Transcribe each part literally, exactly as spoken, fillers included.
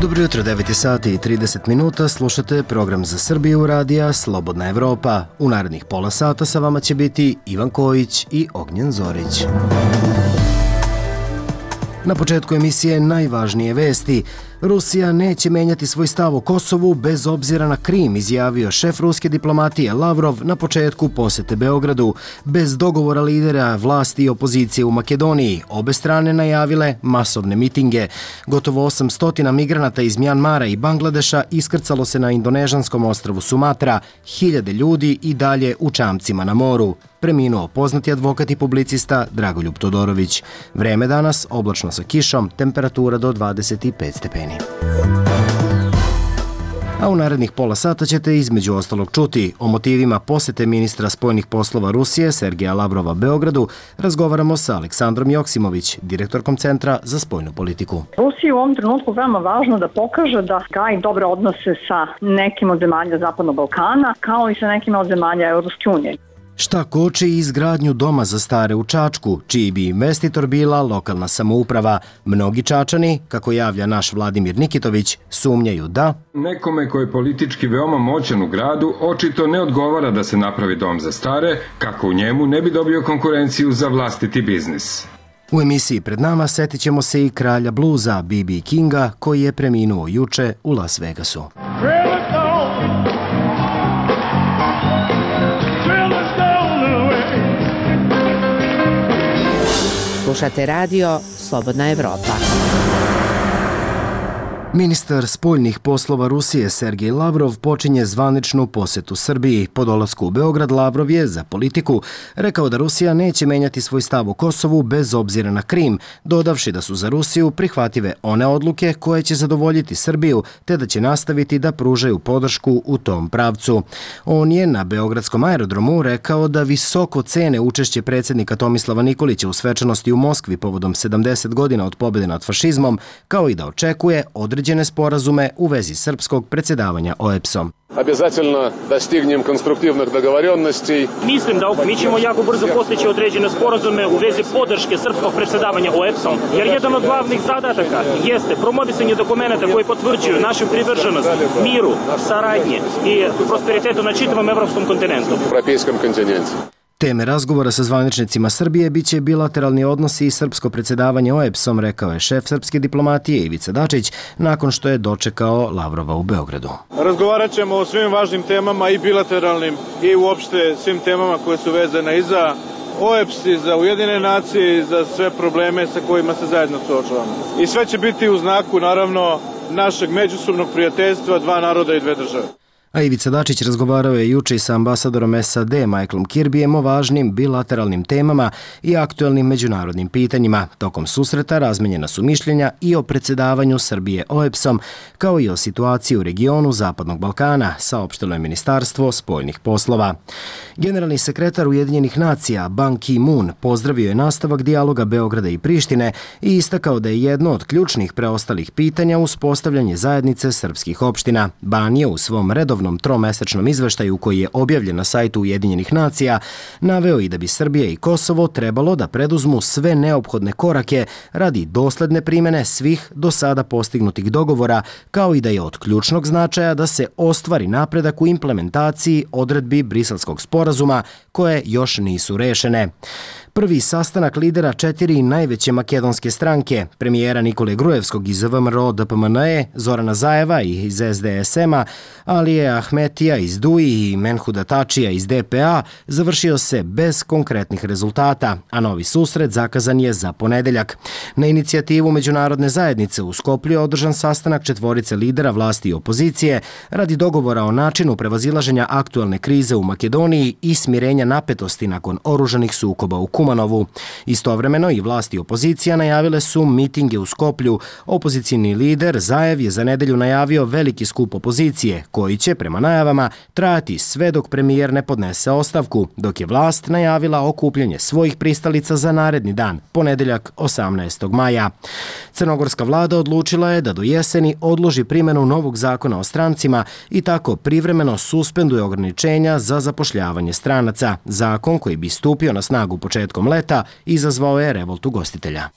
Dobro jutro, devet sati i trideset minuta, slušate program za Srbiju radija Slobodna Evropa. U narednih pola sata sa vama će biti Ivan Kojić i Ognjen Zorić. Na početku emisije najvažnije vesti. Rusija neće menjati svoj stav o Kosovu bez obzira na Krim, izjavio šef ruske diplomatije Lavrov na početku posete Beogradu. Bez dogovora lidera vlasti i opozicije u Makedoniji, obe strane najavile masovne mitinge. Gotovo osamsto migranata iz Mjanmara i Bangladeša iskrcalo se na indonežanskom ostrvu Sumatra, hiljade ljudi i dalje u čamcima na moru. Preminuo poznati advokat i publicista Dragoljub Todorović. Vreme danas oblačno sa kišom, temperatura do dvadeset pet stepeni. A u narednih pola sata ćete između ostalog čuti o motivima posete ministra spoljnih poslova Rusije Sergeja Lavrova Beogradu. Razgovaramo sa Aleksandrom Joksimović, direktorkom Centra za spoljnu politiku. Rusiji u ovom trenutku veoma važno da pokaže da gaji dobre odnose sa nekim od zemalja Zapadnog Balkana, kao i sa nekim od zemalja Evropske unije. Šta koči izgradnju doma za stare u Čačku, čiji bi investitor bila lokalna samouprava? Mnogi Čačani, kako javlja naš Vladimir Nikitović, sumnjaju da nekome koji je politički veoma moćan u gradu očito ne odgovara da se napravi dom za stare, kako u njemu ne bi dobio konkurenciju za vlastiti biznis. U emisiji pred nama setit ćemo se i kralja bluza B B Kinga, koji je preminuo juče u Las Vegasu. Slušate radio Slobodna Evropa. Ministar spoljnih poslova Rusije Sergej Lavrov počinje zvaničnu posetu Srbiji. Po dolasku u Beograd Lavrov je za Politiku rekao da Rusija neće menjati svoj stav o Kosovu bez obzira na Krim, dodavši da su za Rusiju prihvative one odluke koje će zadovoljiti Srbiju, te da će nastaviti da pružaju podršku u tom pravcu. On je na Beogradskom aerodromu rekao da visoko cene učešće predsjednika Tomislava Nikolića u svečanosti u Moskvi povodom sedamdeset godina od pobjede nad fašizmom, kao i da očekuje određenje određene sporazume u vezi srpskog predsjedavanja O E B S-om. Обязательно достигнем конструктивных договоренностей. Mislim da mi ćemo jako brzo postići određene sporazume u vezi podrške srpskog predsjedavanja O E B S-om, jer jedan od glavnih zadataka jeste promovisanje dokumenta koji potvrđuju našu privrženost miru, saradnji i prosperitetu na čitavom evropskom kontinentu. Европейском континенте. Teme razgovora sa zvaničnicima Srbije biće bilateralni odnosi i srpsko predsjedavanje O E B S-om, rekao je šef srpske diplomatije Ivica Dačić nakon što je dočekao Lavrova u Beogradu. Razgovarat ćemo o svim važnim temama i bilateralnim i uopšte svim temama koje su vezane i za O E B S i za Ujedinjene nacije i za sve probleme sa kojima se zajedno suočavamo. I sve će biti u znaku, naravno, našeg međusobnog prijateljstva dva naroda i dve države. A Ivica Dačić razgovarao je juče i sa ambasadorom S A D Michaelom Kirbyjem o važnim bilateralnim temama i aktuelnim međunarodnim pitanjima. Tokom susreta razmenjena su mišljenja i o predsjedavanju Srbije O E B S-om, kao i o situaciji u regionu Zapadnog Balkana, saopštilo je Ministarstvo spoljnih poslova. Generalni sekretar Ujedinjenih nacija Ban Ki-moon pozdravio je nastavak dijaloga Beograda i Prištine i istakao da je jedno od ključnih preostalih pitanja uspostavljanje zajednice srpskih opština. Ban je u svom redovnom tromesečnom izveštaju koji je objavljen na sajtu Ujedinjenih nacija naveo i da bi Srbija i Kosovo trebalo da preduzmu sve neophodne korake radi dosledne primene svih do sada postignutih dogovora, kao i da je od ključnog značaja da se ostvari napredak u implementaciji odredbi Briselskog sporazuma koje još nisu rešene. Prvi sastanak lidera četiri najveće makedonske stranke, premijera Nikole Grujevskog iz V M R O D P M N E, Zorana Zajeva iz S D S M-a, Alije Ahmetija iz D U I i Menhuda Tačija iz D P A, završio se bez konkretnih rezultata, a novi susret zakazan je za ponedeljak. Na inicijativu međunarodne zajednice u Skoplju je održan sastanak četvorice lidera vlasti i opozicije radi dogovora o načinu prevazilaženja aktuelne krize u Makedoniji i smirenja napetosti nakon oružanih sukoba u Kumanovu. Istovremeno i vlasti i opozicija najavile su mitinge u Skoplju. Opozicijni lider Zajev je za nedelju najavio veliki skup opozicije, koji će, prema najavama, trajati sve dok premijer ne podnese ostavku, dok je vlast najavila okupljanje svojih pristalica za naredni dan, ponedeljak osamnaestog maja. Crnogorska vlada odlučila je da do jeseni odloži primjenu novog zakona o strancima i tako privremeno suspenduje ograničenja za zapošljavanje stranaca. Zakon koji bi stupio na snagu početkom leta izazvao je revolt ugostitelja.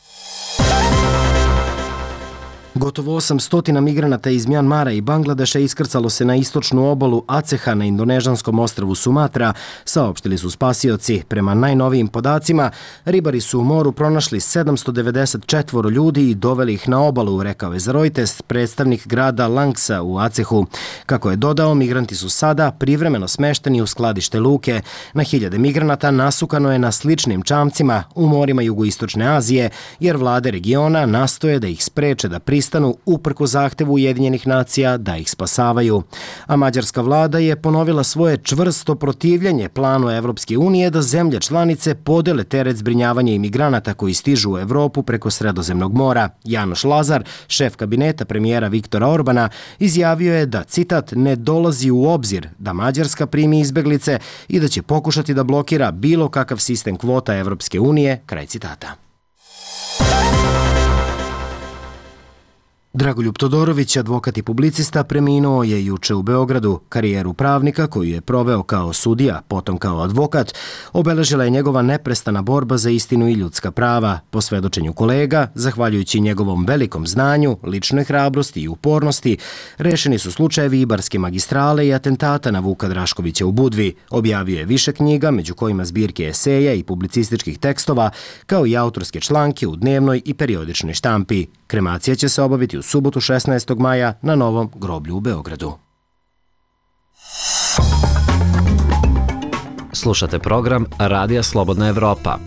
Gotovo osamsto migranata iz Mjanmara i Bangladeša iskrcalo se na istočnu obalu Aceha na indonežanskom ostrvu Sumatra, saopštili su spasioci. Prema najnovijim podacima, ribari su u moru pronašli sedamsto devedeset četvoro ljudi i doveli ih na obalu, rekao je za Reuters predstavnik grada Langsa u Acehu. Kako je dodao, migranti su sada privremeno smešteni u skladište luke. Na hiljade migranata nasukano je na sličnim čamcima u morima jugoistočne Azije, jer vlade regiona nastoje da ih spreče da pristanu uprko zahtevu Ujedinjenih nacija da ih spasavaju. A mađarska vlada je ponovila svoje čvrsto protivljenje planu Evropske unije da zemlje članice podele teret zbrinjavanja imigranata koji stižu u Evropu preko Sredozemnog mora. Janoš Lazar, šef kabineta premijera Viktora Orbana, izjavio je da, citat, ne dolazi u obzir da Mađarska primi izbeglice i da će pokušati da blokira bilo kakav sistem kvota Evropske unije, kraj citata. Dragoljub Todorović, advokat i publicista, preminuo je juče u Beogradu. Karijeru pravnika, koju je proveo kao sudija, potom kao advokat, obeležila je njegova neprestana borba za istinu i ljudska prava. Po svedočenju kolega, zahvaljujući njegovom velikom znanju, ličnoj hrabrosti i upornosti, rešeni su slučajevi Ibarske magistrale i atentata na Vuka Draškovića u Budvi. Objavio je više knjiga, među kojima zbirke eseja i publicističkih tekstova, kao i autorske članke u dnevnoj i periodičnoj štampi. Kremacija će se obaviti u subotu šesnaestog maja na Novom groblju u Beogradu. Slušate program Radija Slobodna Evropa.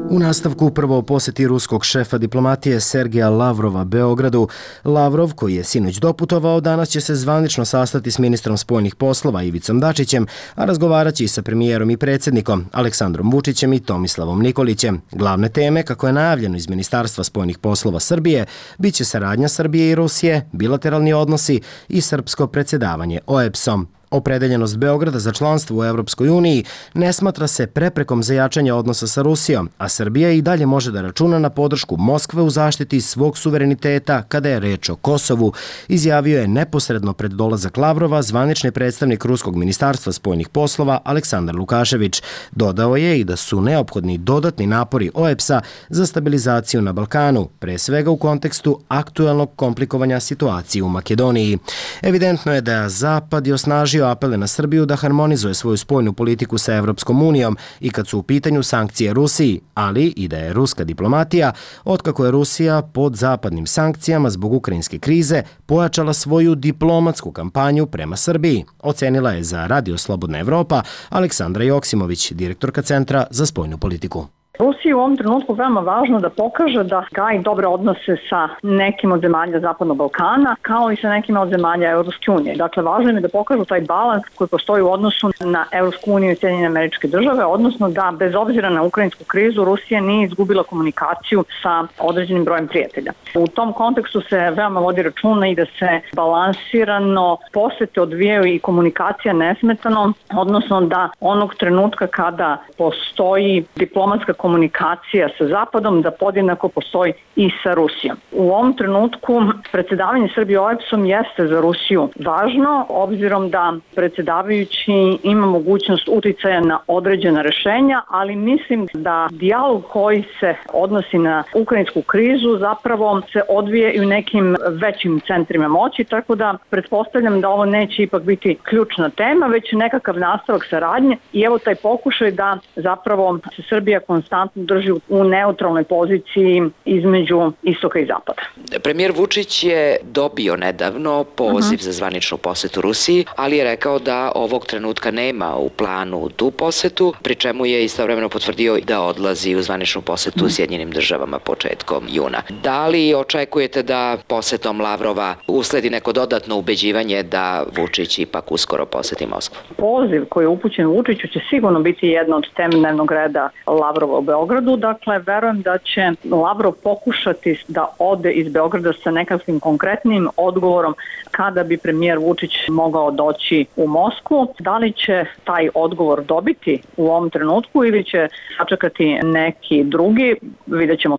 U nastavku prvo posjeti ruskog šefa diplomatije Sergeja Lavrova Beogradu. Lavrov, koji je sinoć doputovao, danas će se zvanično sastati s ministrom spoljnih poslova Ivicom Dačićem, a razgovaraće i sa premijerom i predsjednikom Aleksandrom Vučićem i Tomislavom Nikolićem. Glavne teme, kako je najavljeno iz Ministarstva spoljnih poslova Srbije, bit će saradnja Srbije i Rusije, bilateralni odnosi i srpsko predsjedavanje O E B S-om. Opredeljenost Beograda za članstvo u Evropskoj uniji ne smatra se preprekom za jačanje odnosa sa Rusijom, a Srbija i dalje može da računa na podršku Moskve u zaštiti svog suvereniteta kada je reč o Kosovu, izjavio je neposredno pred dolazak Lavrova zvanični predstavnik Ruskog ministarstva spoljnih poslova Aleksandar Lukašević. Dodao je i da su neophodni dodatni napori O E B S-a za stabilizaciju na Balkanu, pre svega u kontekstu aktuelnog komplikovanja situacije u Makedoniji. Evidentno je da Zapad je osnažio apele na Srbiju da harmonizuje svoju spoljnu politiku sa Evropskom unijom i kad su u pitanju sankcije Rusiji, ali i da je ruska diplomatija, otkako je Rusija pod zapadnim sankcijama zbog ukrajinske krize, pojačala svoju diplomatsku kampanju prema Srbiji, ocenila je za Radio Slobodna Evropa Aleksandra Joksimović, direktorka Centra za spoljnu politiku. Rusiji u ovom trenutku veoma važno da pokaže da gaji dobre odnose sa nekim od zemalja Zapadnog Balkana, kao i sa nekim od zemalja Evropske unije. Dakle, važno je da pokažu taj balans koji postoji u odnosu na Evropsku uniju i Sjedinjene Američke Države, odnosno da bez obzira na ukrajinsku krizu Rusija nije izgubila komunikaciju sa određenim brojem prijatelja. U tom kontekstu se veoma vodi računa i da se balansirano posete odvijaju i komunikacija nesmetano, odnosno da onog trenutka kada postoji diplomatska komunikacija sa Zapadom, da podjednako postoji i sa Rusijom. U ovom trenutku predsjedavanje Srbije O E B S-om jeste za Rusiju važno, obzirom da predsjedavajući ima mogućnost uticaja na određena rešenja, ali mislim da dijalog koji se odnosi na ukrajinsku krizu zapravo se odvije i u nekim većim centrima moći, tako da pretpostavljam da ovo neće ipak biti ključna tema, već nekakav nastavak saradnje i evo taj pokušaj da zapravo se Srbija konstantno drži u neutralnoj poziciji između istoka i zapada. Premijer Vučić je dobio nedavno poziv uh-huh. za zvaničnu posetu Rusiji, ali je rekao da ovog trenutka nema u planu tu posetu, pri čemu je istovremeno potvrdio da odlazi u zvaničnu posetu uh-huh. Sjedinjenim državama početkom juna. Da li očekujete da posetom Lavrova usledi neko dodatno ubeđivanje da Vučić ipak uskoro poseti Moskvu? Poziv koji je upućen Vučiću će sigurno biti jedna od tema dnevnog reda Lavrova u Beogradu. Dakle, verujem da će Lavrov pokušati da ode iz Beograda sa nekakvim konkretnim odgovorom kada bi premijer Vučić mogao doći u Moskvu. Da li će taj odgovor dobiti u ovom trenutku ili će sačekati neki drugi, vidjet ćemo.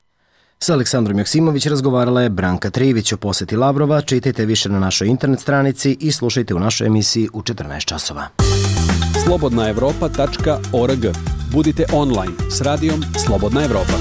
S Aleksandrom Joksimović razgovarala je Branka Trivić o poseti Lavrova. Čitajte više na našoj internet stranici i slušajte u našoj emisiji u četrnaest časova. slobodna evropa tačka org. Budite online s radijom Slobodna Evropa.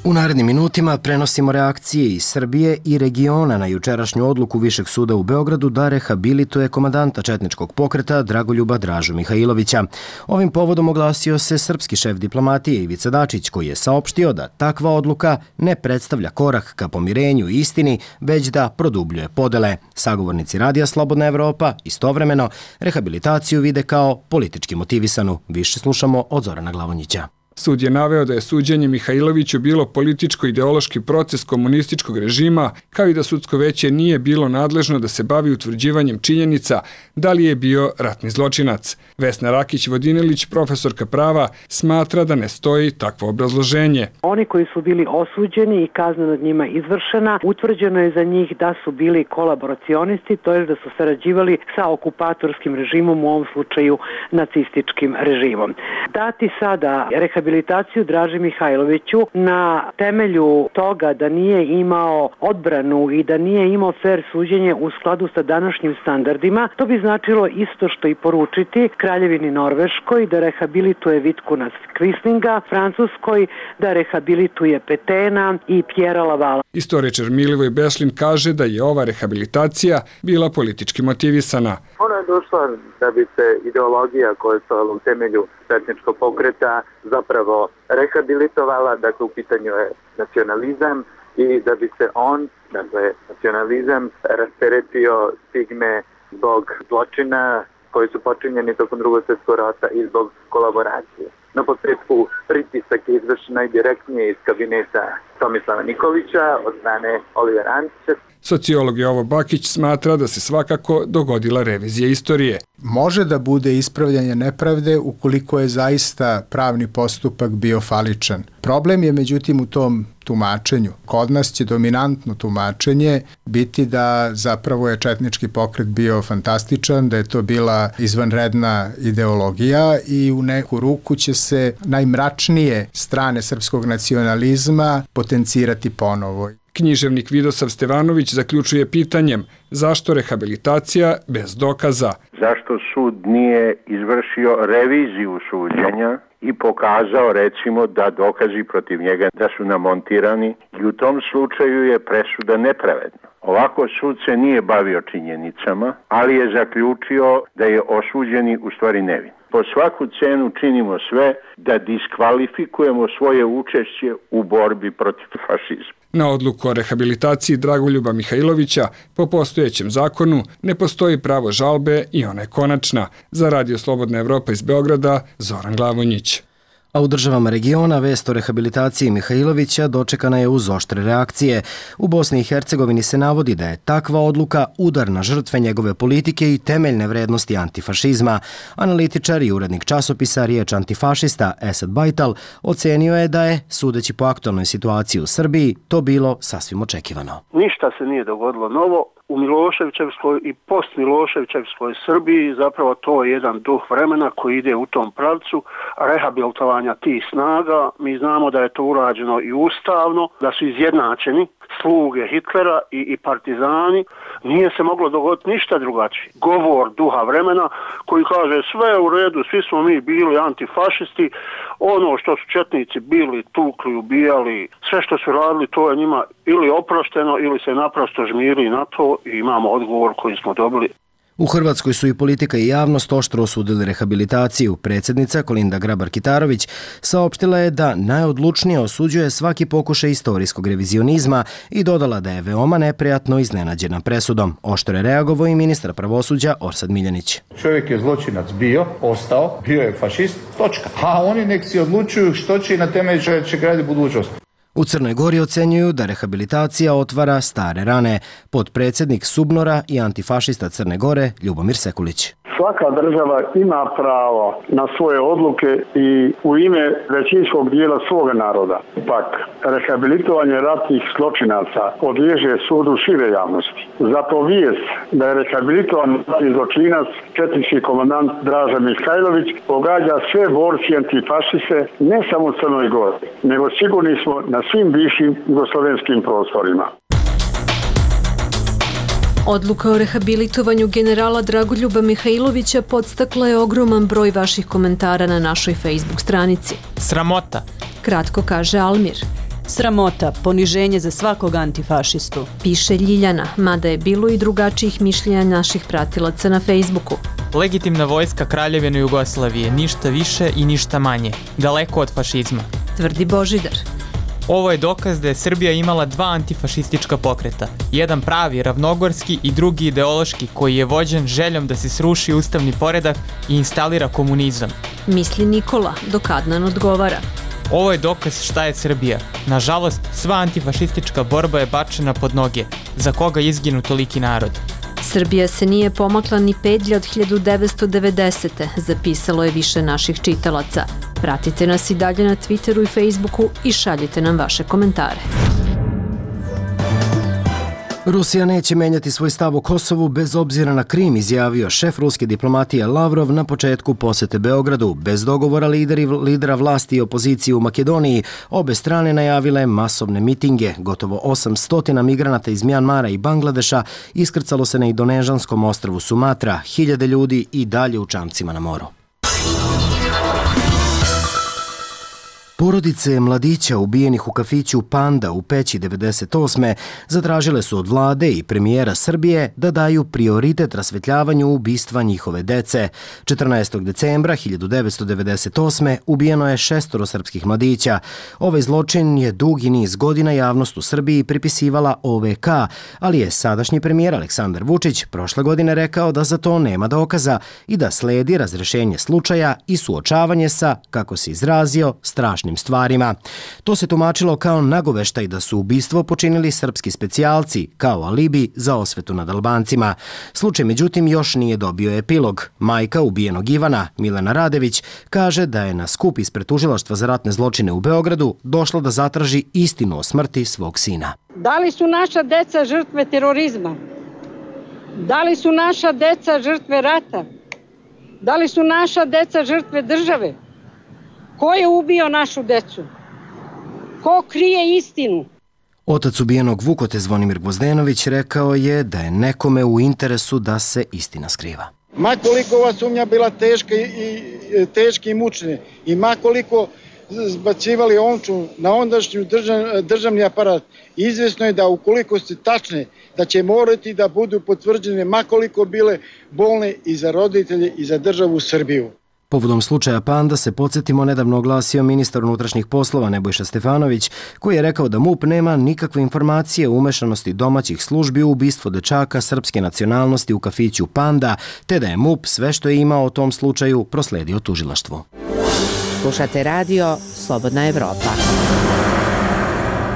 U narednim minutima prenosimo reakcije iz Srbije i regiona na jučerašnju odluku Višeg suda u Beogradu da rehabilituje komandanta četničkog pokreta Dragoljuba Dražu Mihajlovića. Ovim povodom oglasio se srpski šef diplomatije Ivica Dačić, koji je saopštio da takva odluka ne predstavlja korak ka pomirenju i istini, već da produbljuje podele. Sagovornici Radija Slobodna Evropa istovremeno rehabilitaciju vide kao politički motivisanu. Više slušamo od Zorana Glavonjića. Sud je naveo da je suđenje Mihajloviću bilo političko-ideološki proces komunističkog režima, kao i da sudsko veće nije bilo nadležno da se bavi utvrđivanjem činjenica da li je bio ratni zločinac. Vesna Rakić-Vodinelić, profesorka prava, smatra da ne stoji takvo obrazloženje. Oni koji su bili osuđeni i kazna nad njima izvršena, utvrđeno je za njih da su bili kolaboracionisti, to je da su sarađivali sa okupatorskim režimom, u ovom slučaju nacističkim režimom. Dati sada rehabilitaciju rehabilitaciju Draži Mihajloviću na temelju toga da nije imao odbranu i da nije imao fer suđenje u skladu sa današnjim standardima, to bi značilo isto što i poručiti Kraljevini Norveškoj da rehabilituje Vitkuna Quislinga, Francuskoj da rehabilituje Petena i Pjera Lavala. Istoričar Milivoj Bešlin kaže da je ova rehabilitacija bila politički motivisana. Ona je došla da bi se ideologija koja je stojala u temelju četničkog pokreta zapravo rehabilitovala, dakle u pitanju je nacionalizam i da bi se on, dakle nacionalizam, rasteretio stigme zbog zločina koji su počinjeni tokom drugog svjetskog rata i zbog kolaboracije. Na posljedku pritisak je izvršen najdirektnije iz kabineta Tomislava Nikolića od strane Olivera Antića. Sociolog Jovo Bakić smatra da se svakako dogodila revizija istorije. Može da bude ispravljanje nepravde ukoliko je zaista pravni postupak bio faličan. Problem je međutim u tom tumačenju. Kod nas će dominantno tumačenje biti da zapravo je četnički pokret bio fantastičan, da je to bila izvanredna ideologija i u neku ruku će se najmračnije strane srpskog nacionalizma potencirati ponovo. Književnik Vidosav Stevanović zaključuje pitanjem zašto rehabilitacija bez dokaza. Zašto sud nije izvršio reviziju suđenja i pokazao recimo da dokazi protiv njega da su namontirani i u tom slučaju je presuda nepravedna. Ovako sud se nije bavio činjenicama, ali je zaključio da je osuđeni u stvari nevin. Po svaku cenu činimo sve da diskvalifikujemo svoje učešće u borbi protiv fašizma. Na odluku o rehabilitaciji Dragoljuba Mihajlovića po postojećem zakonu ne postoji pravo žalbe i ona je konačna. Za Radio Slobodna Evropa iz Beograda, Zoran Glavonjić. A u državama regiona vest o rehabilitaciji Mihajlovića dočekana je uz oštre reakcije. U Bosni i Hercegovini se navodi da je takva odluka udar na žrtve njegove politike i temeljne vrednosti antifašizma. Analitičar i urednik časopisa Riječ antifašista Esad Bajtal ocenio je da je, sudeći po aktualnoj situaciji u Srbiji, to bilo sasvim očekivano. Ništa se nije dogodilo novo. U Miloševićevskoj i post-Miloševićevskoj Srbiji zapravo to je jedan duh vremena koji ide u tom pravcu rehabilitovanja tih snaga. Mi znamo da je to urađeno i ustavno, da su izjednačeni sluge Hitlera i, i partizani. Nije se moglo dogoditi ništa drugačije. Govor duha vremena koji kaže sve je u redu, svi smo mi bili antifašisti, ono što su četnici bili, tukli, ubijali, sve što su radili to je njima ili oprošteno ili se naprosto žmirili na to i imamo odgovor koji smo dobili. U Hrvatskoj su i politika i javnost oštro osudili rehabilitaciju. Predsjednica Kolinda Grabar-Kitarović saopštila je da najodlučnije osuđuje svaki pokušaj istorijskog revizionizma i dodala da je veoma neprijatno iznenađena presudom. Oštro je reagovao i ministar pravosuđa Orsat Miljanić. Čovjek je zločinac bio, ostao, bio je fašist, točka. A oni nek si odlučuju što će i na temelju čega će graditi budućnost. U Crnoj Gori ocenjuju da rehabilitacija otvara stare rane. Potpredsjednik Subnora i antifašista Crne Gore Ljubomir Sekulić. Svaka država ima pravo na svoje odluke i u ime većinskog dijela svoga naroda. Pak, rehabilitovanje ratnih zločinaca podliježe sudu šire javnosti. Zato vijest da je rehabilitovan ratni zločinac, četnički komandant Draža Mihajlović, pogađa sve borci antifašiste ne samo u Crnoj Gori, nego sigurni smo na svim bivšim jugoslovenskim prostorima. Odluka o rehabilitovanju generala Dragoljuba Mihajlovića podstakla je ogroman broj vaših komentara na našoj Facebook stranici. Sramota, kratko kaže Almir. Sramota, poniženje za svakog antifašistu. Piše Ljiljana, mada je bilo i drugačijih mišljenja naših pratilaca na Facebooku. Legitimna vojska Kraljevine Jugoslavije, ništa više i ništa manje, daleko od fašizma. Tvrdi Božidar. Ovo je dokaz da je Srbija imala dva antifašistička pokreta. Jedan pravi, ravnogorski i drugi ideološki koji je vođen željom da se sruši ustavni poredak i instalira komunizam. Misli Nikola, dok Adnan odgovara. Ovo je dokaz šta je Srbija. Nažalost, sva antifašistička borba je bačena pod noge. Za koga izginu toliki narod? Srbija se nije pomakla ni pedlje od hiljadu devetsto devedesete. Zapisalo je više naših čitalaca. Pratite nas i dalje na Twitteru i Facebooku i šaljite nam vaše komentare. Rusija neće menjati svoj stav o Kosovu bez obzira na Krim, izjavio šef ruske diplomatije Lavrov na početku posete Beogradu. Bez dogovora lideri, lidera vlasti i opozicije u Makedoniji, obe strane najavile masovne mitinge. Gotovo osamsto migranata iz Mjanmara i Bangladeša iskrcalo se na indonežanskom ostrvu Sumatra, hiljade ljudi i dalje u čamcima na moru. Porodice mladića ubijenih u kafiću Panda u Peći devedeset osme zatražile su od vlade i premijera Srbije da daju prioritet rasvetljavanju ubistva njihove dece. četrnaestog decembra hiljadu devetsto devedeset osme ubijeno je šestoro srpskih mladića. Ovaj zločin je dugi niz godina javnost u Srbiji pripisivala O V K, ali je sadašnji premijer Aleksandar Vučić prošle godine rekao da za to nema dokaza i da sledi razrešenje slučaja i suočavanje sa, kako se izrazio, strašnim stvarima. To se tumačilo kao nagoveštaj da su ubistvo počinili srpski specijalci, kao alibi za osvetu nad Albancima. Slučaj, međutim, još nije dobio epilog. Majka ubijenog Ivana, Milena Radević, kaže da je na skup ispred Tužilaštva za ratne zločine u Beogradu došla da zatraži istinu o smrti svog sina. Da li su naša deca žrtve terorizma? Da li su naša deca žrtve rata? Da li su naša deca žrtve države? Ko je ubio našu decu? Ko krije istinu? Otac ubijenog Vukote Zvonimir Gvozdenović rekao je da je nekome u interesu da se istina skriva. Ma koliko ova sumnja bila teška i, teška i mučna i ma koliko zbacivali omču na ondašnju držav, državni aparat, izvjesno je da ukoliko su tačne, da će morati da budu potvrđene ma koliko bile bolne i za roditelje i za državu Srbiju. Povodom slučaja Panda se podsjetimo nedavno oglasio ministar unutrašnjih poslova Nebojša Stefanović, koji je rekao da MUP nema nikakve informacije o umešanosti domaćih službi u ubistvo dečaka srpske nacionalnosti u kafiću Panda, te da je MUP sve što je imao o tom slučaju prosledio tužilaštvu. Slušate radio Slobodna Evropa.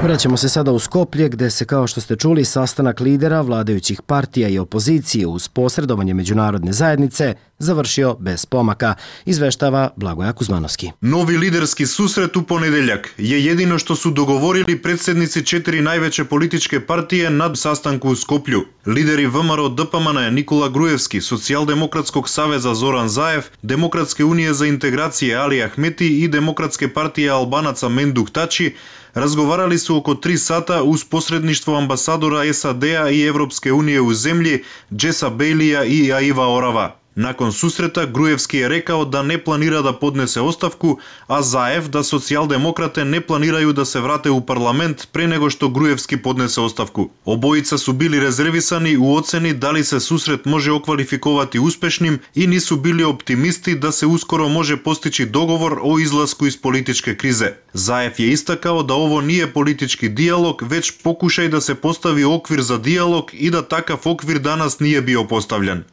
Vraćamo se sada u Skoplje, gde se, kao što ste čuli, sastanak lidera vladajućih partija i opozicije uz posredovanje međunarodne zajednice završio bez pomaka, izveštava Blagoja Kuzmanovski. Novi liderski susret u ponedeljak je jedino što su dogovorili predsjednici četiri najveće političke partije na sastanku u Skoplju. Lideri V M R O D P M N Nikola Grujevski, Socijaldemokratskog saveza Zoran Zaev, Demokratske unije za integracije Ali Ahmeti i Demokratske partije Albanaca Menduk Tači razgovarali su oko tri sata uz posredništvo ambasadora S A D-a i Evropske unije u zemlji Jessa Bailija i Aiva Orava. Nakon susreta Grujevski je rekao da ne planira da podnese ostavku, a Zaev da socijaldemokrate ne planiraju da se vrate u parlament pre nego što Grujevski podnese ostavku. Obojica su bili rezervisani u oceni da li se susret može okvalifikovati uspešnim i nisu bili optimisti da se uskoro može postići dogovor o izlasku iz političke krize. Zaev je istakao da ovo nije politički dijalog, već pokušaj da se postavi okvir za dijalog i da takav okvir danas nije bio postavljen.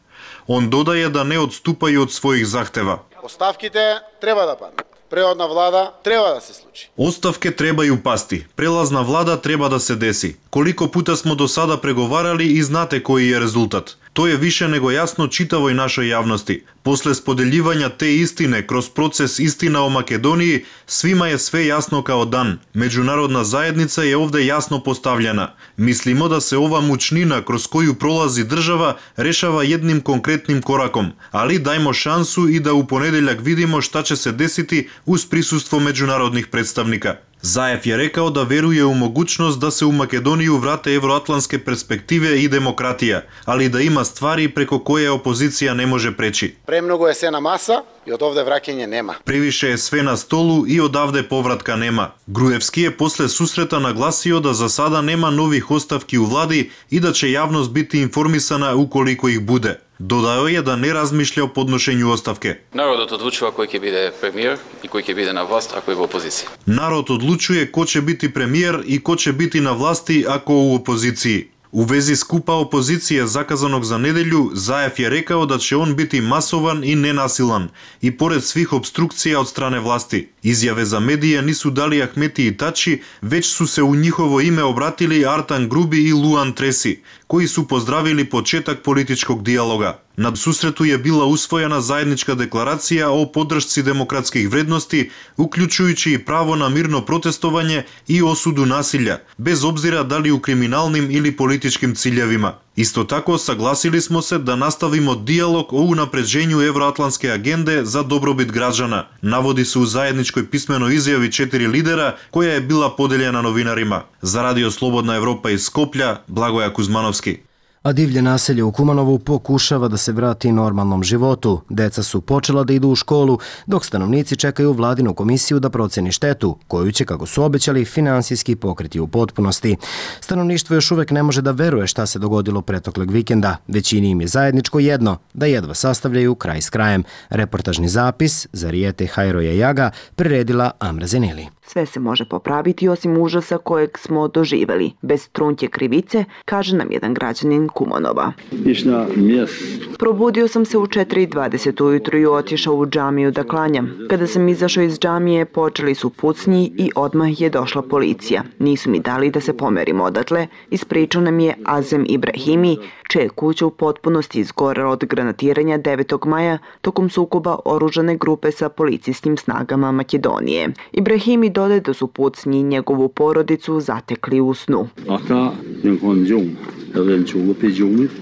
On dodaje da ne odstupaju od svojih zahteva. Ostavkite treba da padne. Prehodna vlada treba da se sluči. Ostavke trebaju pasti. Prelazna vlada treba da se desi. Koliko puta smo do sada pregovarali i znate koji je rezultat. To je više nego jasno čitavoj našoj javnosti. Posle spodeljivanja te istine kroz proces Istina o Makedoniji, svima je sve jasno kao dan. Međunarodna zajednica je ovde jasno postavljena. Mislimo da se ova mučnina kroz koju prolazi država rešava jednim konkretnim korakom, ali dajmo šansu i da u ponedeljak vidimo šta će se desiti uz prisustvo međunarodnih predstavnika. Заев je rekao da veruje u mogućnost da se u Makedoniju vrate evroatlantske perspektive i demokratija, ali da ima stvari preko koje opozicija ne može preći. Premnogo je sve na masa i od ovde vraćanja nema. Previše je sve na stolu i odavde povratka nema. Gruevski je posle susreta naglasio da za sada nema novih ostavki u vladi i da će javnost biti informisana ukoliko ih bude. Dodao je da ne razmišlja o podnošenju ostavke. Narod odlučuje koji će bude premijer i koji će biti na vlast ako je u opoziciji. Narod odlučuje ko će biti premijer i ko će biti na vlasti ako u opoziciji. U vezi skupa opozicije zakazanog za nedelju, Zaev je rekao da će on biti masovan i nenasilan i pored svih obstrukcija od strane vlasti. Izjave za medije nisu dali Ahmeti i Tači, već su se u njihovo ime obratili Artan Grubi i Luan Tresi, koji su pozdravili početak političkog dijaloga. Na susretu je bila usvojena zajednička deklaracija o podršci demokratskih vrednosti, uključujući i pravo na mirno protestovanje i osudu nasilja, bez obzira da li u kriminalnim ili političkim ciljevima. Isto tako, saglasili smo se da nastavimo dijalog o unapređenju evroatlantske agende za dobrobit građana, navodi se u zajedničkoj pismenoj izjavi četiri lidera koja je bila podeljena novinarima. Za Radio Slobodna Evropa iz Skoplja, Blagoja Kuzmanovski. A divlje naselje u Kumanovu pokušava da se vrati normalnom životu. Deca su počela da idu u školu, dok stanovnici čekaju vladinu komisiju da proceni štetu, koju će, kako su obećali, finansijski pokriti u potpunosti. Stanovništvo još uvek ne može da veruje šta se dogodilo pretoklog vikenda. Većini im je zajedničko jedno, da jedva sastavljaju kraj s krajem. Reportažni zapis za Rijete Hajroja Jaga priredila Amra Zeneli. Sve se može popraviti osim užasa kojeg smo doživeli. Bez trunke krivice, kaže nam jedan građanin Kumanova. Probudio sam se u četiri i dvadeset ujutru i otišao u džamiju da klanjam. Kada sam izašao iz džamije, počeli su pucnji i odmah je došla policija. Nisu mi dali da se pomerim odatle, ispričao nam je Azem Ibrahimi, čija je kuća u potpunosti izgorela od granatiranja devetog maja tokom sukoba oružane grupe sa policijskim snagama Makedonije. Ibrahimi dodaje da su pucnji njegovu porodicu zatekli u snu.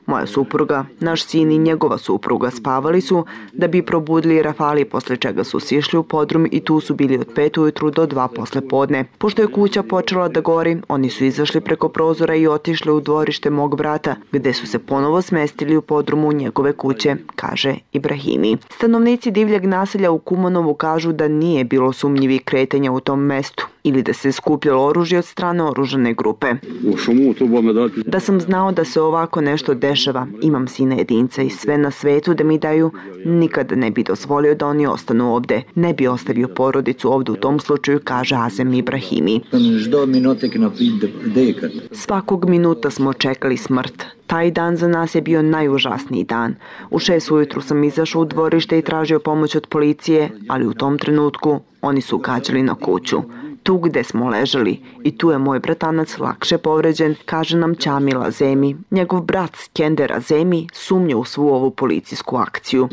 Moja supruga, naš sin i njegova supruga spavali su da bi probudili rafali, posle čega su sišli u podrum i tu su bili od pet ujutru do dva posle podne. Pošto je kuća počela da gori, oni su izašli preko prozora i otišli u dvorište mog brata, gde su se ponovo smestili u podrumu njegove kuće, kaže Ibrahimi. Stanovnici divljeg naselja u Kumanovu kažu da nije bilo sumnjivih kretanja u tom mestu ili da se skupljalo oružje od strane oružane grupe. Da sam znao da se ovako nešto dešava, imam sina jedinca i sve na svetu da mi daju, nikada ne bi dozvolio da oni ostanu ovde. Ne bi ostavio porodicu ovde u tom slučaju, kaže Azem Ibrahimi. Svakog minuta smo čekali smrt. Taj dan za nas je bio najužasniji dan. U šest ujutru sam izašao u dvorište i tražio pomoć od policije, ali u tom trenutku oni su gađali na kuću. Tu gde smo ležali i tu je moj bratanac lakše povređen, kaže nam Ćamila Zemi. Njegov brat Skender Zemi sumnja u svu ovu policijsku akciju.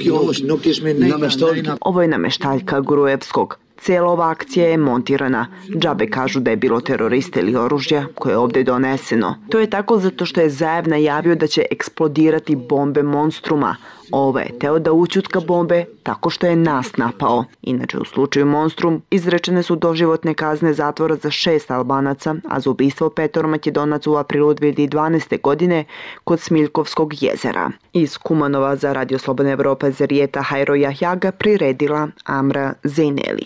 Ovo je nameštaljka Gruevskog. Cijela ova akcija je montirana. Džabe kažu da je bilo terorista ili oružja koje je ovde doneseno. To je tako zato što je Zaev najavio da će eksplodirati bombe Monstruma. Ovo je teo da ućutka bombe tako što je nas napao. Inače, u slučaju Monstrum izrečene su doživotne kazne zatvora za šest Albanaca, a za ubistvo petoro Makedonaca u aprilu dve hiljade dvanaeste. godine kod Smiljkovskog jezera. Iz Kumanova za Radio Slobodna Evropa za Rijeta Hajroja Jaga priredila Amra Zeneli.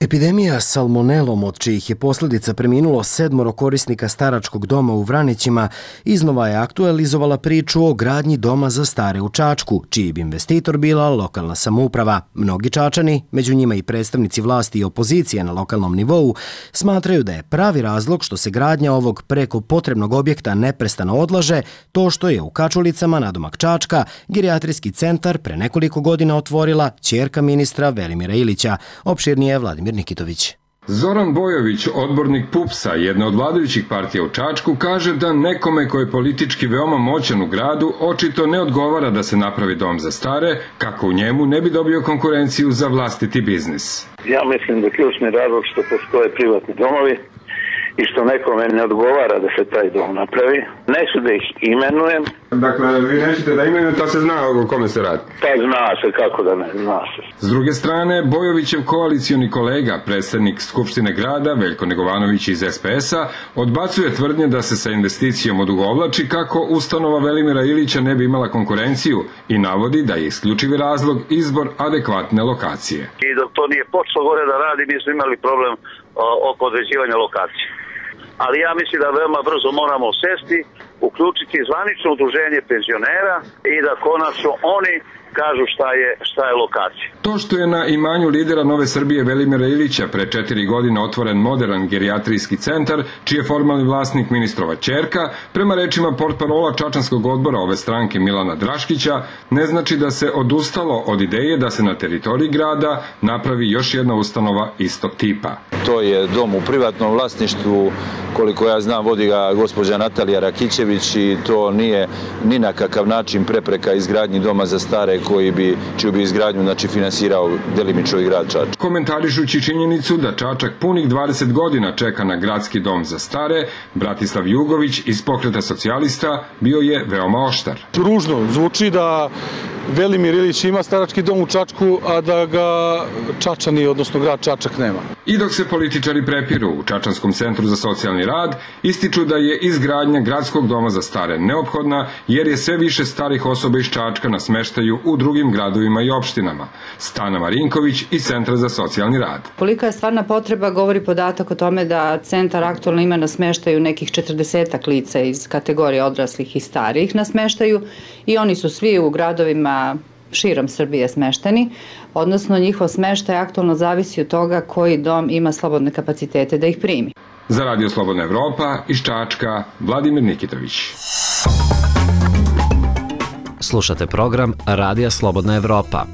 Epidemija salmonelom, od čijih je posljedica preminulo sedmoro korisnika staračkog doma u Vranićima, iznova je aktualizovala priču o gradnji doma za stare u Čačku, čiji bi investitor bila lokalna samouprava. Mnogi Čačani, među njima i predstavnici vlasti i opozicije na lokalnom nivou, smatraju da je pravi razlog što se gradnja ovog preko potrebnog objekta neprestano odlaže to što je u Kačulicama nadomak Čačka gerijatrijski centar pre nekoliko godina otvorila ćerka ministra Velimira Ilića. Opširnije Vladimir Nikitović. Zoran Bojović, odbornik PUPS-a, jedna od vladajućih partija u Čačku, kaže da nekome koji je politički veoma moćan u gradu očito ne odgovara da se napravi dom za stare, kako u njemu ne bi dobio konkurenciju za vlastiti biznis. Ja mislim da ključni razlog što postoje privatni domovi i što nekome ne odgovara da se taj dom napravi. Neću da ih imenujem. Dakle, vi nećete da imenujete, a se zna o kome se radi? Pa zna se, kako da ne, zna se. S druge strane, Bojovićev koalicioni kolega, predsednik Skupštine grada, Veljko Negovanović iz S P S-a, odbacuje tvrdnje da se sa investicijom odugovlači kako ustanova Velimira Ilića ne bi imala konkurenciju i navodi da je isključivi razlog izbor adekvatne lokacije. I dok to nije počelo gore da radi, mi smo imali problem o, oko određivanja lokacije. Ali ja mislim da veoma brzo moramo sesti, uključiti zvanično udruženje penzionera i da konačno oni kažu šta je, šta je lokacija. To što je na imanju lidera Nove Srbije Velimira Ilića pre četiri godine otvoren modern gerijatrijski centar, čiji je formalni vlasnik ministrova ćerka, prema rečima portparola Čačanskog odbora ove stranke Milana Draškića, ne znači da se odustalo od ideje da se na teritoriji grada napravi još jedna ustanova istog tipa. To je dom u privatnom vlasništvu, koliko ja znam vodi ga gospođa Natalija Rakićević i to nije ni na kakav način prepreka izgradnji doma za stare koji bi, čiju bi izgradnju znači, finansirao delimično i grad Čačak. Komentarišući činjenicu da Čačak punih dvadeset godina čeka na gradski dom za stare, Bratislav Jugović iz Pokreta socijalista bio je veoma oštar. Ružno zvuči da Velimir Ilić ima starački dom u Čačku, a da ga Čačani, odnosno grad Čačak, nema. I dok se političari prepiru u Čačanskom centru za socijalni rad, ističu da je izgradnja gradskog doma za stare neophodna, jer je sve više starih osoba iz Čačka na smeštaju u drugim gradovima i opštinama. Stana Marinković iz Centra za socijalni rad. Kolika je stvarna potreba govori podatak o tome da centar aktualno ima na smeštaju nekih četrdesetak lica iz kategorije odraslih i starijih na smeštaju i oni su svi u gradovima širom Srbije smešteni, odnosno njihov smeštaj aktualno zavisi od toga koji dom ima slobodne kapacitete da ih primi. Za Radio Slobodna Evropa iz Čačka, Vladimir Nikitović. Slušate program Radija Slobodna Evropa.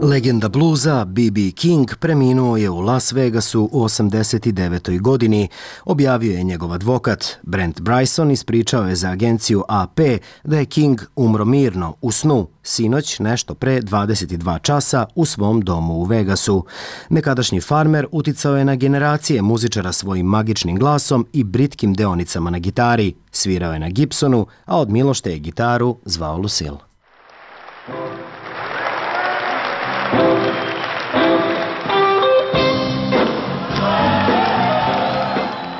Legenda bluza B B. King preminuo je u Las Vegasu u osamdeset devetoj godini, objavio je njegov advokat. Brent Bryson ispričao je za agenciju A P da je King umro mirno u snu sinoć nešto pre dvadeset dva časa u svom domu u Vegasu. Nekadašnji farmer uticao je na generacije muzičara svojim magičnim glasom i britkim deonicama na gitari. Svirao je na Gibsonu, a od Milošte je gitaru zvao Lucille.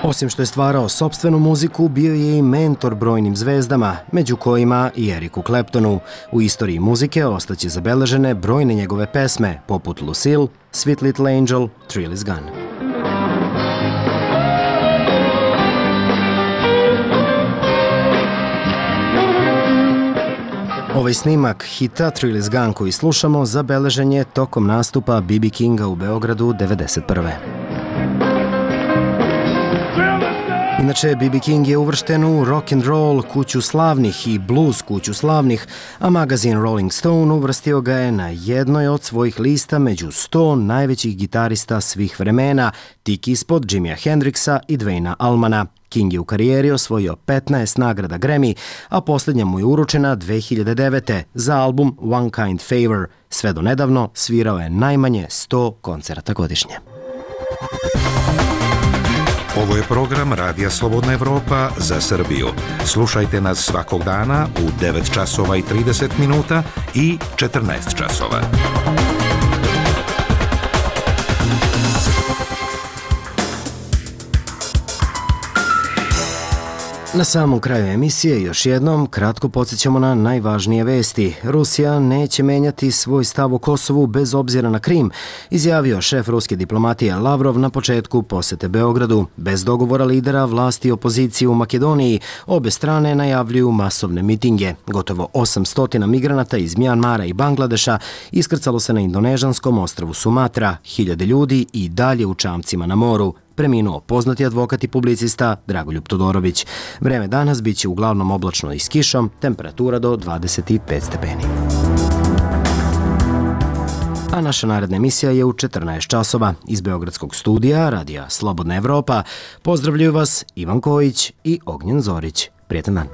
Osim što je stvarao sopstvenu muziku, bio je i mentor brojnim zvezdama, među kojima i Eriku Claptonu. U istoriji muzike ostaće zabeležene brojne njegove pesme, poput Lucille, Sweet Little Angel, Thrill Is Gone. Ovaj snimak hita Thrill Is Gone koji slušamo zabeležen je tokom nastupa B B. Kinga u Beogradu devedeset prve. Inače, B B. King je uvršten u rock and roll kuću slavnih i blues kuću slavnih, a magazin Rolling Stone uvrstio ga je na jednoj od svojih lista među sto najvećih gitarista svih vremena, tik ispod Jimija Hendrixa i Dwayna Allmana. King je u karijeri osvojio petnaest nagrada Grammy, a posljednja mu je uručena dve hiljade devete. za album One Kind Favor. Sve do nedavno svirao je najmanje sto koncerata godišnje. Ovo je program Radija Slobodna Evropa za Srbiju. Slušajte nas svakog dana u devet časova i trideset minuta i četrnaest časova. Na samom kraju emisije još jednom kratko podsjećamo na najvažnije vesti. Rusija neće menjati svoj stav o Kosovu bez obzira na Krim, izjavio šef ruske diplomatije Lavrov na početku posete Beogradu. Bez dogovora lidera vlasti i opozicije u Makedoniji, obe strane najavljuju masovne mitinge. Gotovo osamsto migranata iz Mjanmara i Bangladeša iskrcalo se na indonežanskom ostrvu Sumatra, hiljade ljudi i dalje u čamcima na moru. Preminuo poznati advokat i publicista Dragoljub Todorović. Vreme danas biće uglavnom oblačno i s kišom, temperatura do dvadeset pet stepeni. A naša naredna emisija je u četrnaest časova. Iz Beogradskog studija Radija Slobodna Evropa pozdravljaju vas Ivan Kojić i Ognjen Zorić. Prijetan dan.